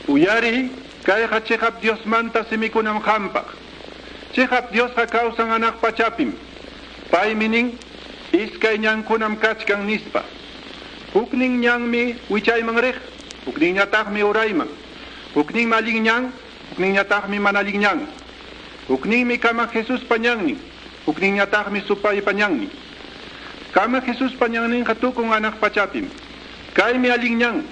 Uyariy, kayqa chiqap Diosmanta simikunam qampaq. Chiqap Diosqa kawsan hanaq pachapim. Paymi nin, iskay ñankunam kachkan nispa. Huknin ñanmi wichayman riq, hukninñataqmi urayman. Hukninmi allin ñan, hukninñataqmi mana allin ñan. Hukninmi Kamaq Jesuspa ñannin, hukninñataqmi supaypa ñannin. Kamaq Jesuspa ñanninqa tukun hanaq pachapim. Kaymi allin ñan.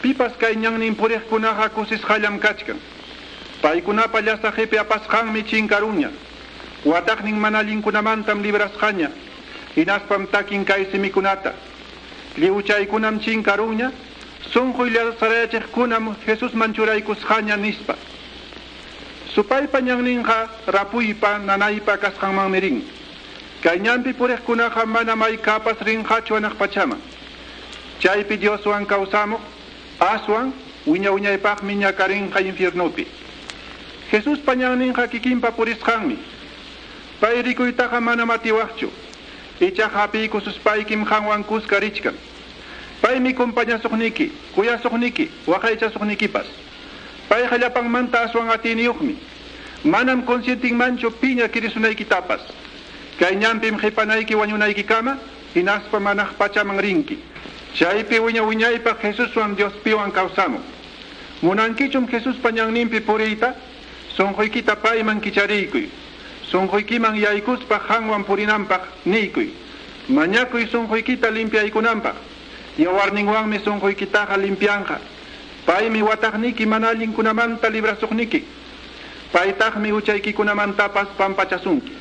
Pipas kay ñannin puriqkunaqa kusisqallam kachkan. Paykunapa llasaq qipi apasqanmi chinkarunña. Wataqnin mana allinkunamantam librasqaña. Hinaspam takin kay simikunata. Lliwchaykunam chinkarunña, sunquy llasarayachiqkunam Jesusman churaykusqaña nispa. Supaypa ñanninqa rapuypa nanaypa kasqanmanmi rin. Kay ñanpi puriqkunaqa manam haykapas rinqachu hanaq pachaman. Chaypi Dioswan kawsamuq, aswan wiña wiñaypaqmi ñakarinqa infiernopi. Jesuspa ñanninqa kikinpa purisqanmi. Pay rikuytaqa manam atiwaqchu. Ichaqa hapiykususpaykim qanwan kuska richkan. Paymi compañasuqniki, kuyasuqniki, waqaychasuqnikipas. Payqa llapanmanta aswan atiyniyuqmi. Manam consientinmanchu piña kirisunaykitapas. Kay ñanpim qipanayki wañunaykikama, hinaspa hanaq pachaman rinki. Chaypi wiña wiñaypaq Jesuswan Diospiwan kawsamuq. Munankichum Jesuspa ñanninpi puriyta, sunquykita payman kichariykuy. Sunquykiman yaykuspa qanwan purinanpaq niykuy. Mañakuy sunquykita limpiaykunanpaq. Yawarninwanmi sunquykitaqa limpianqa. Paymi wataqniki mana allinkunamanta librasuqniki. Paytaqmi huchaykikunamantapas pampachasunki.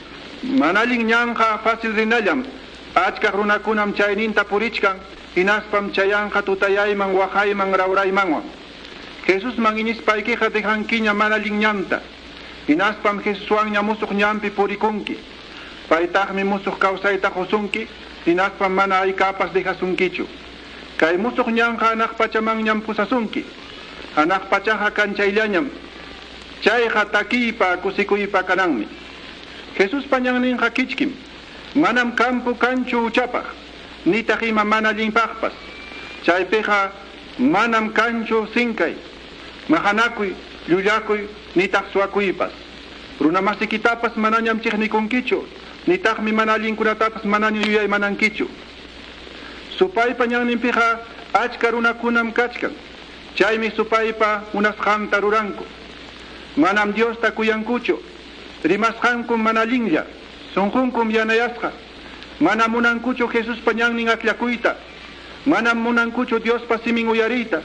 Mana allin ñanqa fácil rinallam. Achkaq runakunam chayninta purichkan, hinaspam chayanqa tutayayman, waqayman, rawraymanwan. Jesusman iñispaykiqa dejankiña mana allin ñanta. Hinaspam Jesuswanña musuq ñanpi purikunki. Paytaqmi musuq kawsayta qusunki, hinaspam mana haykapas dejasunkichu. Kay musuq ñanqa hanaq pachamanñam pusasunki. Hanaq pachaqa kanchayllañam. Chayqa takiypa kusikuypa kananmi. Jesuspa ñanninqa kichkim. Manam campo kanchu huchapaq, nitaq ima mana allinpaqpas. Chaypiqa manam kanchu sinkay, maqanakuy, llullakuy, nitaq suwakuypas. Runamasikitapas manañam chiqnikunkichu, nitaqmi mana allinkunatapas manaña yuyaymanankichu. Supaypa ñanninpiqa achka runakunam kachkan. Chaymi supaypa munasqanta ruranku. Manam Diosta kuyankuchu. Rimasqankum mana allinlla, sunqunkum yanayasqa. Manam munankuchu Jesuspa ñannin akllakuyta. Manam munankuchu Diospa simin uyariyta.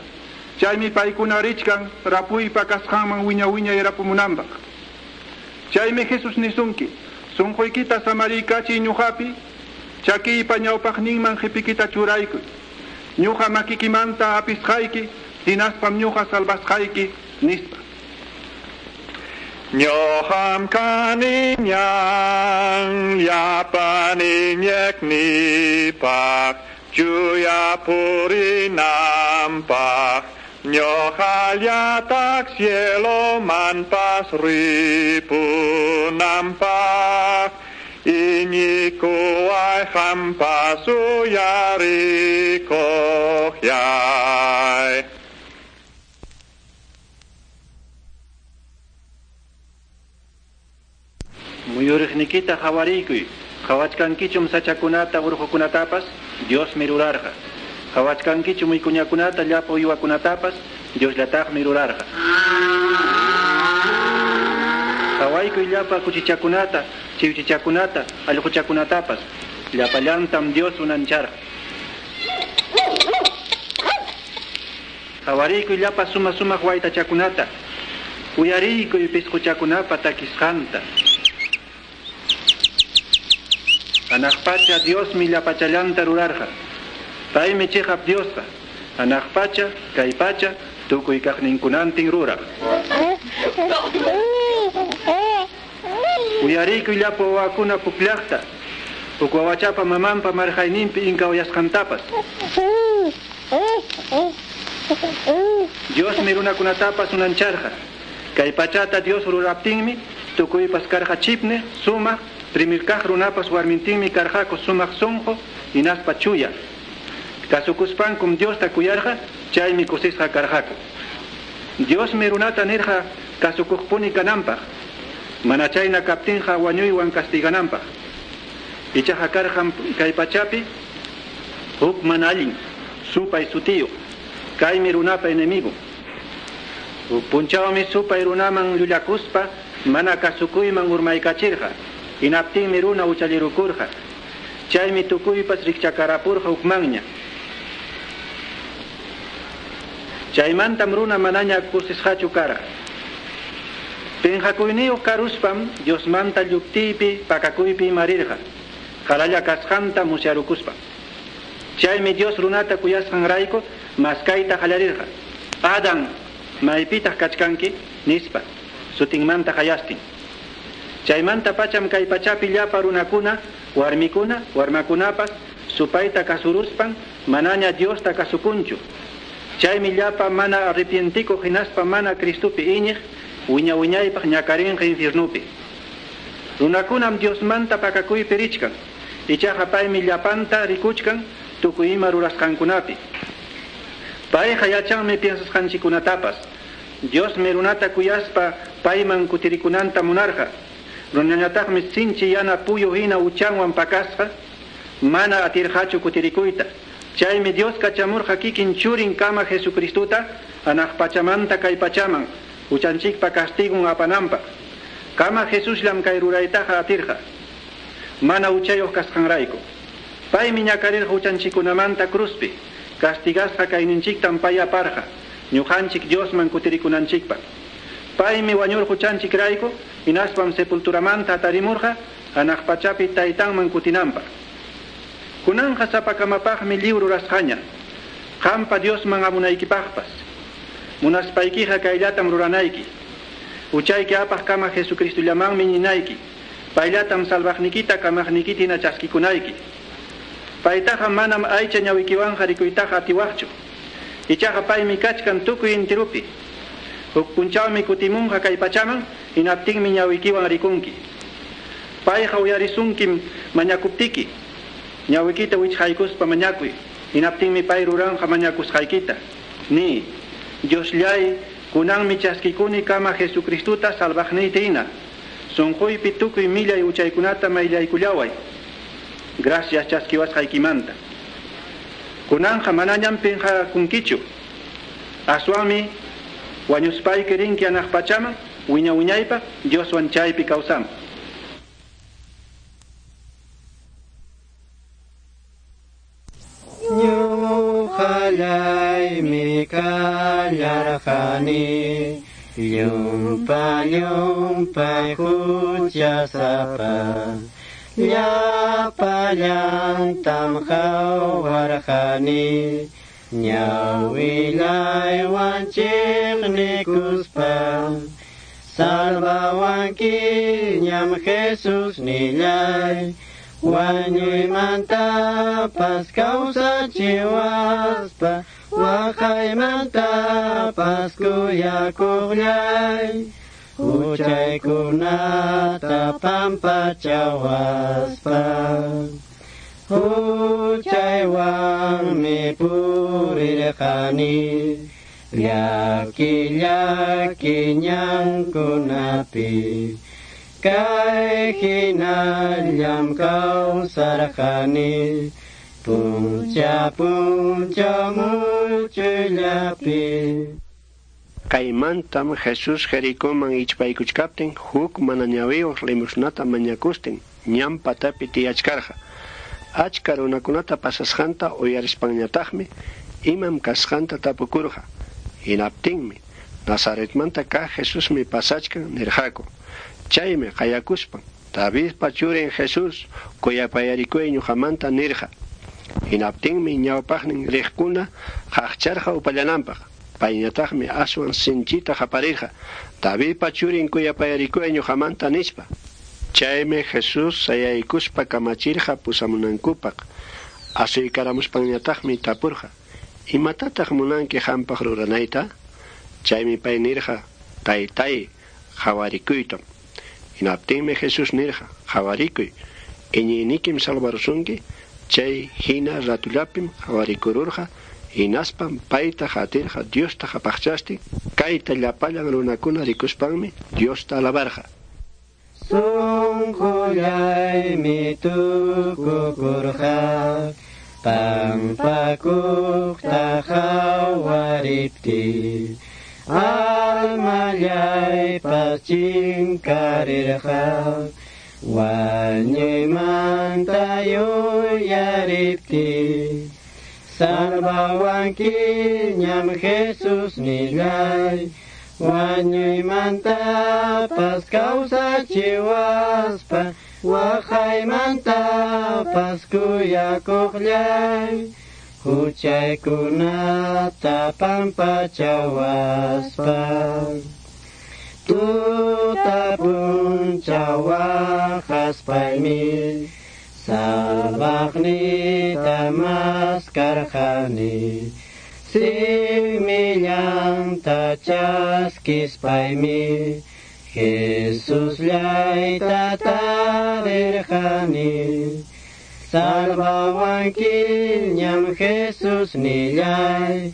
Chaymi paykuna richkan rapuypa kasqanman wiña wiñay rapumunanpaq. Chaymi Jesús nisunki, sunquykita samariykachiy ñuqapi, chakiypa ñawpaqninman qipikita churaykuy. Ñuqa makikimanta hapisqayki, hinaspam ñuqa salvasqayki, nispa. Ñuqam kani ñan llapan iñiqnipaq, chuya purinanpaq. Ñuqallataq cielomanpas ripunanpaq. Iñikuway qampas uyarikuqllay. Muyuriqnikita qawariykuy, qawachkankichum sachakunata urqukunatapas, Diosmi rurarqa. Qawachkankichum wikuñakunata llapa uywakunatapas, Diosllataqmi rurarqa. Qawaykuy llapa kuchichakunata, chiwchichakunata, allquchakunatapas, llapallantam Dios unancharqa. Qawariykuy llapa suma sumaq waytachakunata, uyariykuy pisquchakunapa takisqanta. Hanaq pacha Diosmi llapachallanta rurarqa. Paymi chiqap Diosqa. Hanaq pacha, kay pacha, tukuy kaqninkunantin ruraq. Uyariykuy llapa wawakuna pukllaqta, huk wawachapa mamanpa marqayninpi inkawayasqantapas. Diosmi runakunatapas unancharqa. Kay pachata Dios ruraptinmi, tukuypas karqa chipne, sumaq, primer kaq runapas warmintinmi karqaku sumaq sunqu, hinaspa chuya. Kasukuspankum Diosta kuyarqa, chaymi kusisqa karqaku. Diosmi runata nirqa kasukuqpuni kananpaq. Mana chayna kaptinqa wañuywan castigananpaq. Ichaqa karqam kay pachapi huk mana allin supay sutiyuq. Kaymi runapa enemigo. Huk punchawmi supay runaman llullakuspa mana kasukuyman urmaykachirqa. Hinaptinmi runa uchallirukurqa. Chaymi tukuypas rikchakarapurqa hukmanña. Chaymantam runa manaña kusisqachu karqa. Pinqakuyniyuq karuspam Diosmanta lluptiypi pakakuypi marirqa. Qalalla kasqanta musyarukuspa. Chaymi Dios runata kuyasqanrayku maskayta qallarirqa. Adán, maypitaq kachkanki? Nispa, sutinmanta qayastin. Chaymanta pacham kay pachapi llapa runakuna, warmikuna, warmakunapas supayta kasuruspan manaña Diosta kasukunchu. Chaymi llapa mana arrepientikuq hinaspa mana Cristopi iñiq wiña wiñaypaq ñakarinqa infiernupi. Runakunam Diosmanta pakakuypi richkan. Ichaqa paymi llapanta rikuchkan tukuy ima rurasqankunapi. Payqa yachanmi piensasqanchikkunatapas. Diosmi runata kuyaspa payman kutirikunanta munarqa. Runañataqmi sinchi yana puyu hina uchanwan pakasqa mana atirqachu kutirikuyta. Chaymi Dios kachamurqa kikin churin kama Jesucristuta anaq pachamanta kay pachaman uchanchikpa castigun apananpaq. Kama Jesusllam kay ruraytaqa atirqa. Mana uchayuq kasqanrayku. Paymi ñakarirqa uchanchikkunamanta cruzpi. Castigasqa kayninchiktam pay aparqa. Ñuqanchik Diosman kutirikunanchikpaq. Paymi wañurqa uchanchikrayku hinaspam sepulturamanta atarimurqa anaq pachapi taytanman kutinanpaq. Kunanqa sapakamapaqmi lliw rurasqaña. Qampa Diosman amunaykipaqpas. Munaspaykiqa kayllatam ruranayki. Uchayki apaq kama Jesucristullamanmi ñinayki. Payllatam salvaqnikita kamaqnikita hina chaskikunayki. Paytaqa manam aycha ñawikiwanqa rikuytaqa atiwaqchu. Ichaqa paymi kachkan tukuy intirupi. Huk punchawmi kutimunqa kay pachaman hinaptinmi ñawikiwan rikunki. Payqa uyarisunkim mañakuptiki. Ñawikita wichqaykuspa mañakuy. Hinaptinmi pay ruranqa mañakusqaykita. Ni, Diosllay, kunanmi chaskikuni kama Jesucristuta salvaqniyta hina. Sunquypi tukuy millay uchaykunata mayllaykullaway. Gracias chaskiwasqaykimanta. Kunanqa manañam pinqakunkichu. Aswanmi wañuspayki rinki anaq pachaman wiña wiñaypaq Dioswan chaypi kawsaman. Ñuqallaymi kallarqani llumpa llumpay huchasapa. Llapallantam qhawarqani ñawillaywan chiqnikuspa. Salvawankiñam Jesus nillay wañuymantapas kawsachiwaspa waqaymantapas kuyakuqllay. Huchaykunata pampachawaspa. Huchaywanmi purirqani llaki llaki ñankunapi. Kay hinallam kawsarqani puncha puncha muchuyllapi. Kaymantam Jesús Jericoman ichpaykuchkaptin huk mana ñawiyuq limosnata mañakustin ñan patapi tiyachkarqa. Achka runakunata pasasqanta uyarispanñataqmi imam kasqanta tapukurqa. Hinaptinmi Nazaretmanta kaq Jesusmi pasachkan nirqaku. Chaymi qayakuspan Davidpa churin Jesús kuyapayarikuy ñuqamanta nirqa. Hinaptinmi ñawpaqnin riqkuna qaqcharqa upallananpaq. Payñataqmi aswan sinchita qaparirqa Davidpa churin kuyapayarikuy ñuqamanta nispa. Chaymi Jesús sayaykuspa kamachirqa pusamunankupaq. Asuykaramuspanñataqmi tapurqa: Imatataq munanki qampaq ruranayta? Chaymi pay nirqa: Taytay, qhawarikuytam. Hinaptinmi Jesús nirqa: Qhawarikuy, iñiynikim salvarusunki. Chay hina ratullapim qhawarikururqa. Hinaspam payta qatirqa Diosta qapaqchastin, kayta llapallan runakuna rikuspanmi Diosta alabarqa. Sunqullaymi tukukurqa pampakuqta qawariptiy, almallaypas chinkarirqa wañuymanta yuyariptiy. Salvawankiñam Jesus nillay, wañuymantapas kawsachiwaspa, waqaymantapas kuyakuqllay, huchaykunata pampachawaspa. Tuta punchaw waqaspaymi salvaqniyta maskarqani, simillanta chaskispaymi Jesusllayta tarirqani. Salvawankiñam Jesus nillay,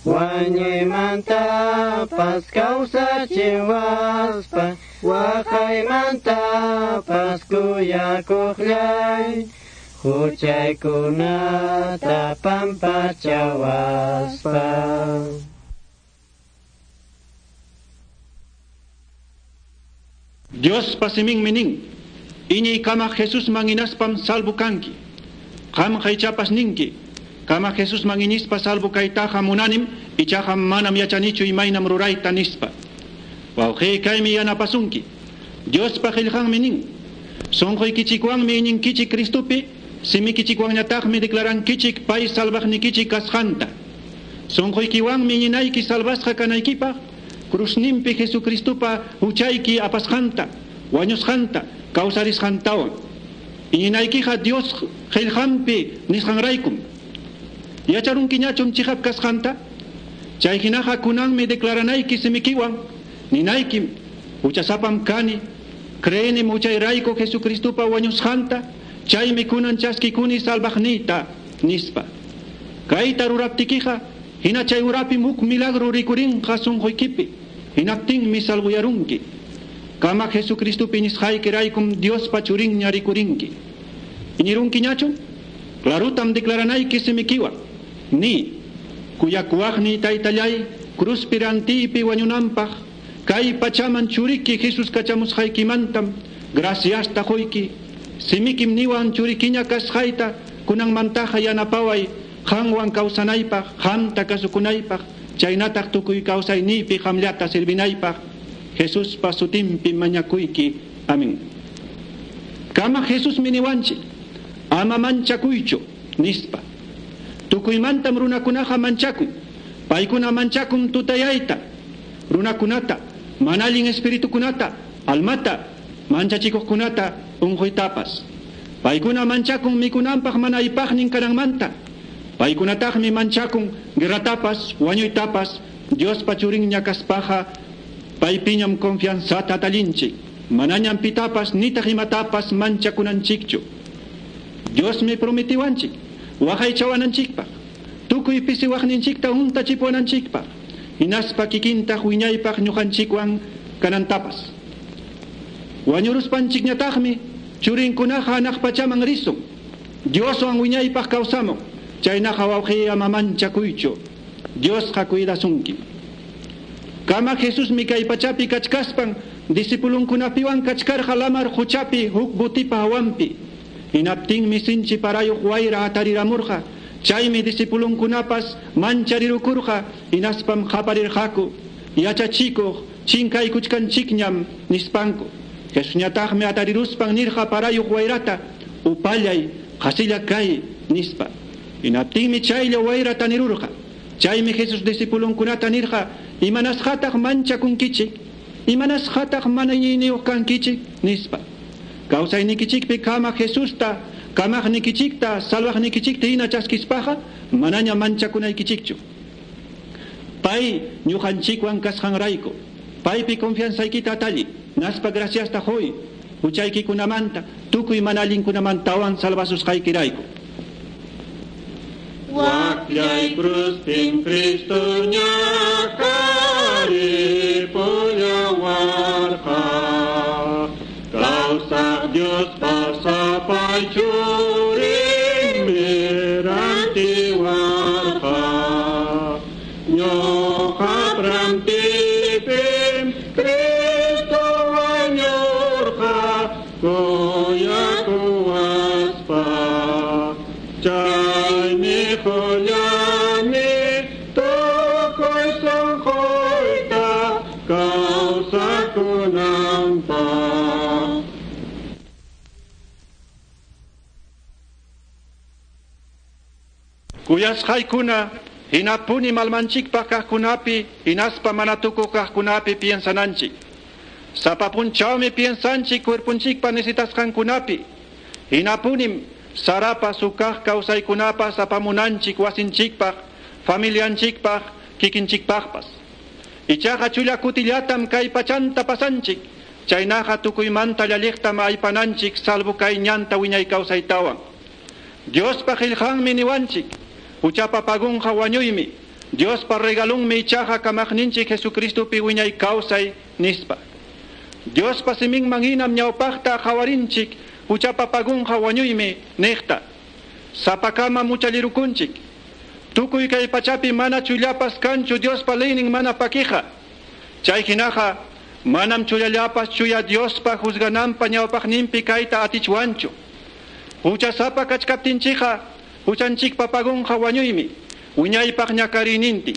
wañuymantapas kawsachiwaspa, waqaymantapas kuyakuqllay, huchaykunata pampachawaspa. Diospa siminmi nin, iñiy kamaq Jesusman hinaspam salvo kanki. Qamqa ichapas ninki, kama Jesusman iñispa salvo kaytaqa munanim, ichaqa manam yachanichu imaynam rurayta nispa. Wawqiy kaymi yanapasunki. Diospa qillqanmi nin, sunquykichikwanmi iñinkichik Cristopi, simikichikwanñataqmi declarankichik pay salvaqnikichik kasqanta. Sunquykiwanmi iñinayki salvasqa kanaykipaq, krusninpi Jesucristopa huchayki apasqanta, wañusqanta, kawsarisqantawan. Iñinaykiqa Dios qillqanpi nisqanraykum. Yacharunkiñachum chiqap kasqanta? Chay hinaqa kunanmi declaranayki simikiwan, ninaykim, huchasapam kani, creenim huchayrayku Jesucristopa wañusqanta, chaymi kunan chaskikuni salvaqniyta, nispa. Kayta ruraptikiqa, hina chay urapim huk milagro rikurinqa sunquykipi, hinaptinmi salvuyarunki. Kama Jesucristopi iñisqaykiraykum Diospa churinña rikurinki. Iñirunkiñachu? Clarutam declaranayki simikiwan. Ni, kuyakuwaqniy taytallay, cruzpi rantiypi wañunanpaq, kay pachaman churiki Jesus kachamusqaykimantam, graciasta quyki, simikim niwan churikiña kasqayta, kunanmantaqa yanapaway, qanwan kawsanaypaq, qamta kasukunaypaq, chaynataq tukuy kawsayniypi qamllata servinaypaq, Jesuspa sutinpi mañakuyki. Amén. Kama Jesus miniwanchik, ama manchakuychu, nispa. Tukuymantam runakunaqa manchakun, paykuna manchakun tutayayta, runakunata, mana allin espiritukunata, almata, manchachikuqkunata, unquytapas. Paykuna manchakun mikunanpaq mana aypaqnin kananmanta. Paykunataqmi manchakun guerratapas, wañuytapas, Diospa churinña kaspaqa, paypiñam confianzata tallinchik, manañam pitapas nitaq imatapas manchakunanchikchu. Diosmi prometiwanchik, waqaychawananchikpaq, tukuy pisiwaqninchikta huntachipuwananchikpaq, hinaspa kikintaq wiñaypaq ñuqanchikwan kanantapas. Wañuruspanchikñataqmi churinkunaqa hanaq pachaman risun, Dioswan wiñaypaq kawsamun, chaynaqa wawqiy ama manchakuychu, Diosqa cuidasunki. Kama Jesusmi kay pachapi kachkaspan, discipulunkunapiwan kachkarqa lamar quchapi huk botipa hawanpi. Hinaptinmi sinchi parayuq wayra atariramurqa, chaymi discipulunkunapas mancharirukurqa, hinaspam qaparirqaku, yachachikuq chinkaykuchkanchikñam nispanku. Jesusñataqmi atariruspan nirqa parayuq wayrata, upallay, qasilla kay, nispa. Hinaptinmi chaylla wayra tanirurqa. Chaymi Jesus discipulunkunata nirqa, imanasqataq manchakunkichik, imanasqataq mana iñiyniyuq kankichik, nispa. Kawsaynikichikpi kama Jesusta, kamaqnikichikta, salvaqnikichikta hina chaskispaqa, manaña manchakunaykichikchu. Pay ñuqanchikwan kasqanrayku, paypi confianzaykita atalli, naspa graciasta huy, huchaykikunamanta, tukuy mana allinkunamantawan salvasusqaykirayku. Kaqllay cruzpim Cristo ñakaripullawarqa. Kawsaq Diospa sapay churinmi rantiwarqa. Ñuqap rantiypim Cristo wañurqa kuyakuwaspa. Chaymi qullani tukuy sunquyta kawsakunanpaq. Kuyasqaykuna hinapuni malmanchikpaq kaqkunapi hinaspa mana tukuq kaqkunapi piensananchik. Sapa punchawmi piensanchik cuerpunchikpa necesitasqankunapi. Hinapunim sarapas hukaq kawsaykunapas apamunanchik wasinchikpaq, familianchikpaq, kikinchikpaqpas. Ichaqa chulla kutillatam kay pachanta pasanchik. Chaynaqa tukuymanta llalliqtam aypananchik salvo kay ñanta wiñay kawsaytawan. Diospa qillqanmi niwanchik. Huchapa pagunqa wañuymi. Diospa regalunmi ichaqa kamaqninchik Jesucristopi wiñay kawsay nispa. Diospa siminman hinam ñawpaqta qhawarinchik huchapa pagunqa wañuymi niqta. Sapakama muchallirukunchik. Tukuy kay pachapi mana chullapas kanchu Diospa leynin mana pakiqa. Chay hinaqa manam chullallapas chuya Diospa juzgananpa ñawpaqninpi kayta atichwanchu. Huchasapa kachkaptinchikqa huchanchikpa pagunqa wañuymi wiñaypaq ñakariynintin.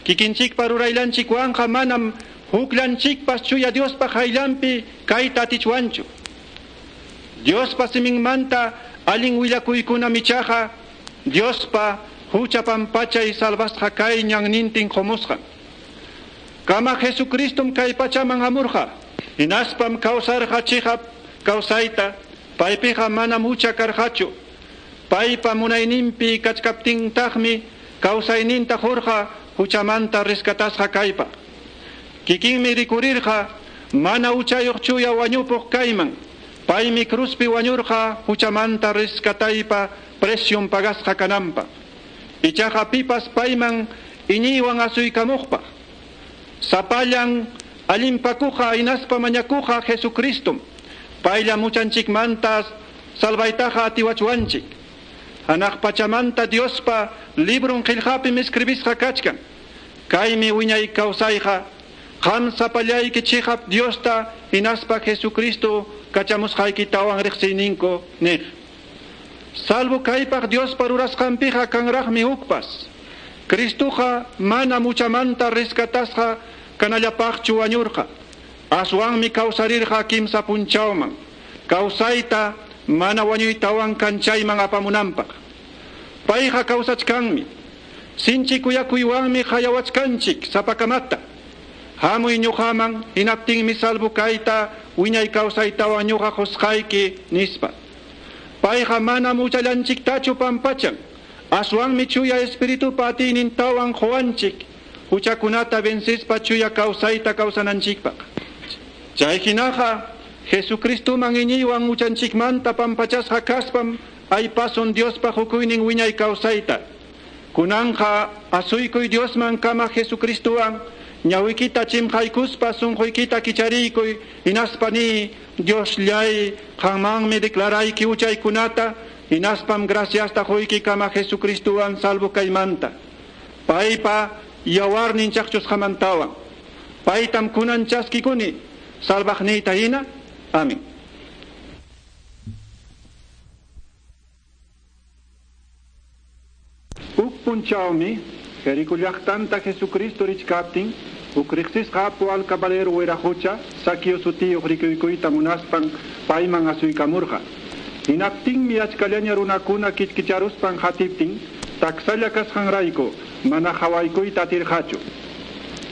Kikinchikpa ruraylanchikwanqa manam hukllanchikpas chuya Diospa hayllanpi kayta atichwanchu. Diospa siminmanta allin willakuykunam ichaqa Diospa hucha pampachay salvasqa kay ñannintin qumusqan. Kama Jesucristum kay pachaman hamurqa hinaspam kawsarqa chiqap kawsayta paypiqa manam hucha karqachu. Paypa munayninpi kachkaptintaqmi kawsayninta qurqa huchamanta rescatasqa kaypa. Kikinmi rikurirqa mana huchayuq chuya wañupuq kayman. Paymi cruzpi wañurqa huchamanta rescataypa precion pagasqa kananpaq. Ichaqa pipas payman iñiywan asuykamuqpaq. Sapallan allinpakuqa hinaspa mañakuqa Jesucristum. Paylla muchanchikmanta salvaytaqa atiwachwanchik. Hanaq pachamanta Diospa librun qillqapim escribisqa kachkan. Kaymi wiñay kawsayqa qam sapallayki chiqap Diosta hinaspa Jesucristo kachamusqaykitawan riqsiyninku niq. Salvo kaypaq Diospa rurasqanpiqa kanraqmi hukpas. Cristoqa mana muchamanta rescatasqa kanallapaqchu wañurqa. Aswanmi kawsarirqa kimsa punchawman. Kawsayta mana wañuytawan kanchayman apamunanpaq. Payqa kawsachkanmi. Sinchi kuyakuywanmi hayawachkanchik sapakamata. Hamuy ñuqaman hinaptinmi salvo kayta wiñay kawsaytawan ñuqa qusqayki nispa. Payqa mana muchallanchiktachu pampachan. Aswanmi chuya espiritupa atiynintawan quwanchik huchakunata vencispa chuya kawsayta kawsananchikpaq. Chay hinaqa Jesucristoman iñiywan huchanchikmanta pampachasqa kaspam aypasun Diospa hukuynin wiñay kawsayta. Kunanqa asuykuy Diosman kama Jesucristowan ñawikita chimqaykuspa sunquykita kichariykuy hinaspa ni Diosllay qanmanmi declarayki huchaykunata hinaspam graciasta quyki kama Jesucristowan salvo kaymanta. Paypa yawarnin chaqchusqamantawan. Paytam kunan chaskikuni salvaqniyta hina. Amén. Huk punchawmi Jerico llaqtanta Jesucristo richkaptin huk riqsisqa apu alcabalero wiraqucha Saqueo sutiyuq rikuykuyta munaspan payman asuykamurqa. Hinaptinmi achkallaña runakuna kichkicharuspan hatiptin taksalla kasqanrayku mana hawaykuyta atirqachu.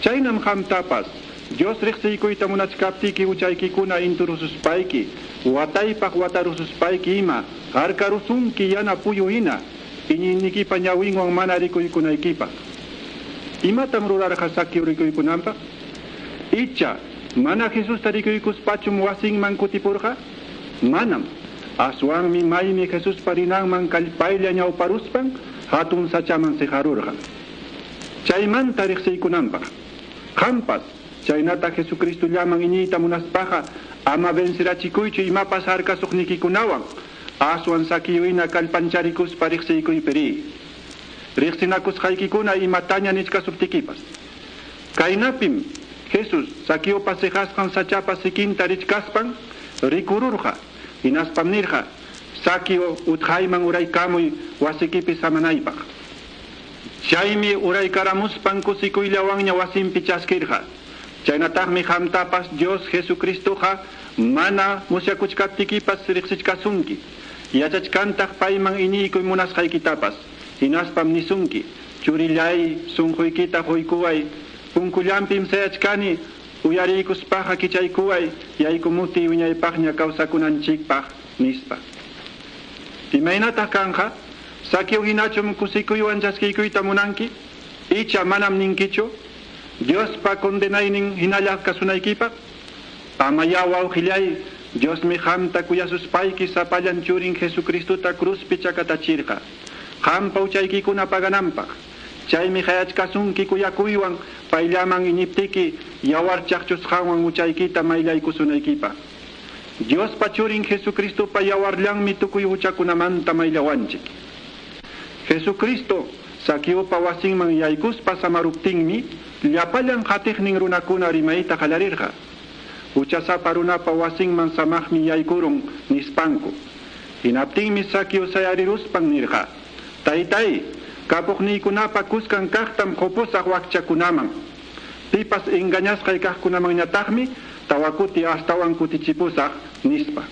Chaynam qamtapas Dios riqsiykuyta munachkaptiki huchaykikuna inturususpayki wataypaq watarususpayki ima harkarusunki yana puyu hina iñiynikipa ñawinwan mana rikuykunaykipaq. Imatam rurarqa Saqueo rikuykunanpaq? Icha mana Jesusta rikuykuspachum wasinman kutipurqa? Manam. Aswanmi maymi Jesuspa rinanman kallpaylla ñawparuspan hatun sachaman siqarurqa. Chaymanta riqsiykunanpaq. Qampas chaynata Jesucristollaman iñiyta munaspaqa ama vencirachikuychu imapas harkasuqnikikunawan aswan Saqueohina kallpancharikuspa riqsiykuypi riy. Riqsinakusqaykikuna imataña nichkasuptikipas. Kaynapim Jesus Saqueopa siqasqan sachapa sikinta richkaspan rikururqa. Hinaspam nirqa, Saqueo utqayman uraykamuy wasikipi samanaypaq. Chaymi uraykaramuspan kusikuyllawanña wasinpi chaskirqa. Chaynataqmi qamtapas Dios Jesucristoqa mana musyakuchkaptikipas riqsichkasunki. Yachachkantaq payman iñiykuy munasqaykitapas. Hinaspam nisunki, churillay sunquykita quykuway, punkullampim sayachkani, uyariykuspaqa kichaykuway, yaykumuti wiñaypaqña kawsakunanchikpaq, nispa. Imaynataq kanqa? Saqueo hinachum kusikuywan chaskiykuyta munanki? Icha manam ninkichu? Diospa condenaynin hinalla kasunaykipaq? Amaya wawqillay, Diosmi qamta kuyasuspayki sapallan churin Jesucristota cruzpi chakatachirqa. Qampa huchaykikuna pagananpaq. Chaymi qayachkasunki kuyakuywan payllaman iñiptiki yawar chaqchusqanwan huchaykita mayllaykusunaykipaq. Diospa churin Jesucristopa yawarllanmi tukuy huchakunamanta mayllawanchik. Jesucristo Saqueopa wasinman yaykuspa samaruptinmi llapallan qatiqnin runakuna rimayta qallarirqa. Huchasapa runapa wasinman samaqmi yaykurun nispanku. Hinaptinmi Saqueo sayariruspan nirqa: Taytay, kapuqniykunapa kuskan kaqtam qupusaq wakchakunaman. Pipas engañasqay kaqkunamanñataqmi tawakuti astawan kutichipusaq nispa.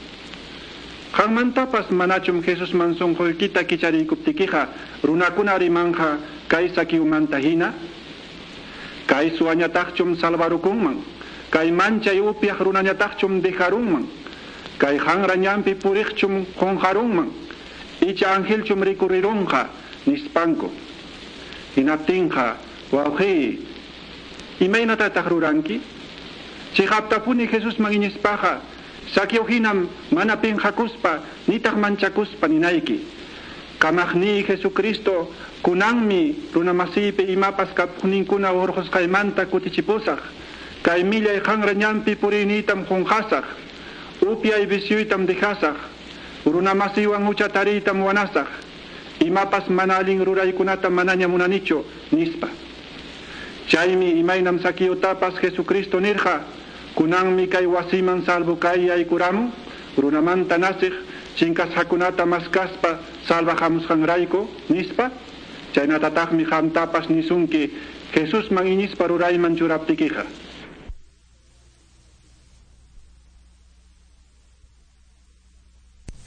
Qanmantapas manachum Jesusman sunquykita kichariykuptikiqa runakuna rimanqa kay Saqueomanta hina? Kay suwañataqchum salvarukunman? Kay manchay upyaq runañataqchum dejarunman? Kay hanra ñanpi puriqchum qunqarunman? Icha angelchum rikurirunqa nispanku. Hinaptinqa, wawqiy, imaynatataq ruranki? Chiqaptapuni Jesusman iñispaqa Saqueo hinam mana pinqakuspa nitaq manchakuspa ninayki. Kamaqniy Jesucristo kunanmi runamasiypi imapas kapuqninkuna hurqusqaymanta kutichipusaq. Kay millay hanra ñanpi puriyniytam qunqasaq. Upyay visyuytam dejasaq. Runamasiywan hucha tariytam wanasaq. Imapas mana allin ruraykunata manaña munanichu nispa. Chaymi imaynam Saqueotapas Jesucristo nirqa, kunanmi kay wasiman salvo kay yaykuramun, runamanta nasiq chinkasqakunata maskaspa salvajamusqanrayku nispa. Chaynatataqmi qamtapas nisunki Jesusman iñispa rurayman churaptikiqa.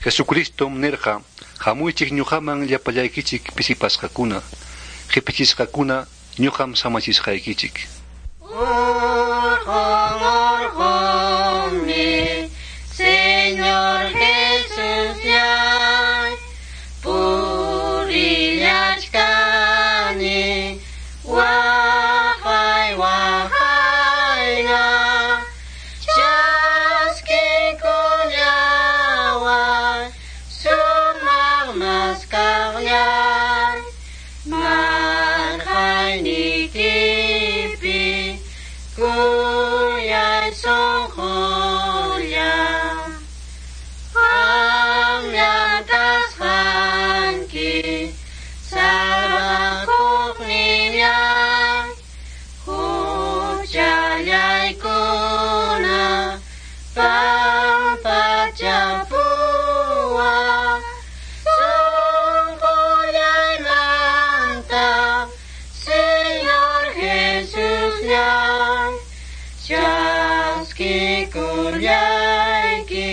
Jesucristo nirqa, hamuychik ñuqaman llapallaykichik pisipasqakuna, qhipichisqakuna ñuqam samachisqaykichik. Orqun, Señor Jesusllay, purillachkani, waqay waqayna, chaskikullaway, sumaq maskaqllay, marqaynikipi kuyay sunqulla. Qamllam kasqanki salvakuqnillay, huchallaykuna pampachapuway, sunqullaymanta Señor Jesusllay, chaskikullayki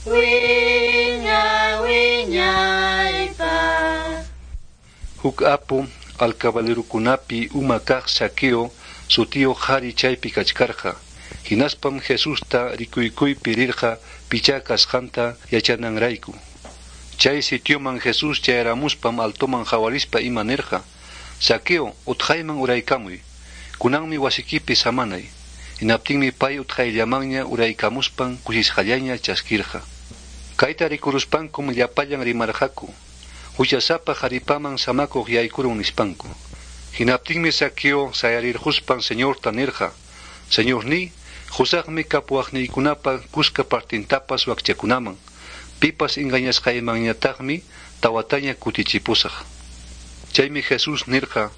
wiñay wiñaypaq. Huk apu alcabalerukunapi uma kaq Saqueo sutiyuq qhari chaypi kachkarqa. Hinaspam Jesusta rikuykuypi rirqa pichá kasqanta yachananrayku. Chay sitioman Jesús chayaramuspam altoman hawarispa ima nirqa: Saqueo, utqayman uraykamuy. Kunanmi wasikipi samanay. Hinaptinmi pay utqayllamanña uraykamuspan kusisqallaña chaskirqa. Kayta rikuruspankum llapallan rimarqaku. Huchasapa qaripaman samakuq yaykurun nispanku. Hinaptinmi Zaqueo sayarirquspan Señorta nirqa: Señorní, qusaqmi kapuwaqniykunapa kuska partintapas wakchakunaman. Pipas engañasqaymanñataqmi tawataña kutichipusaq. Chaymi Jesús nirqa: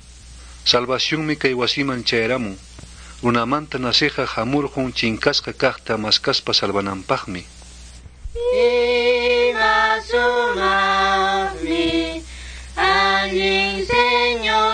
Salvacionmi kay wasiman chayaramun. Runamanta naceqqa hamurqun chinkasqa kaqta maskaspa salvananpaqmi. Ima sumaqmi allin Señorqa.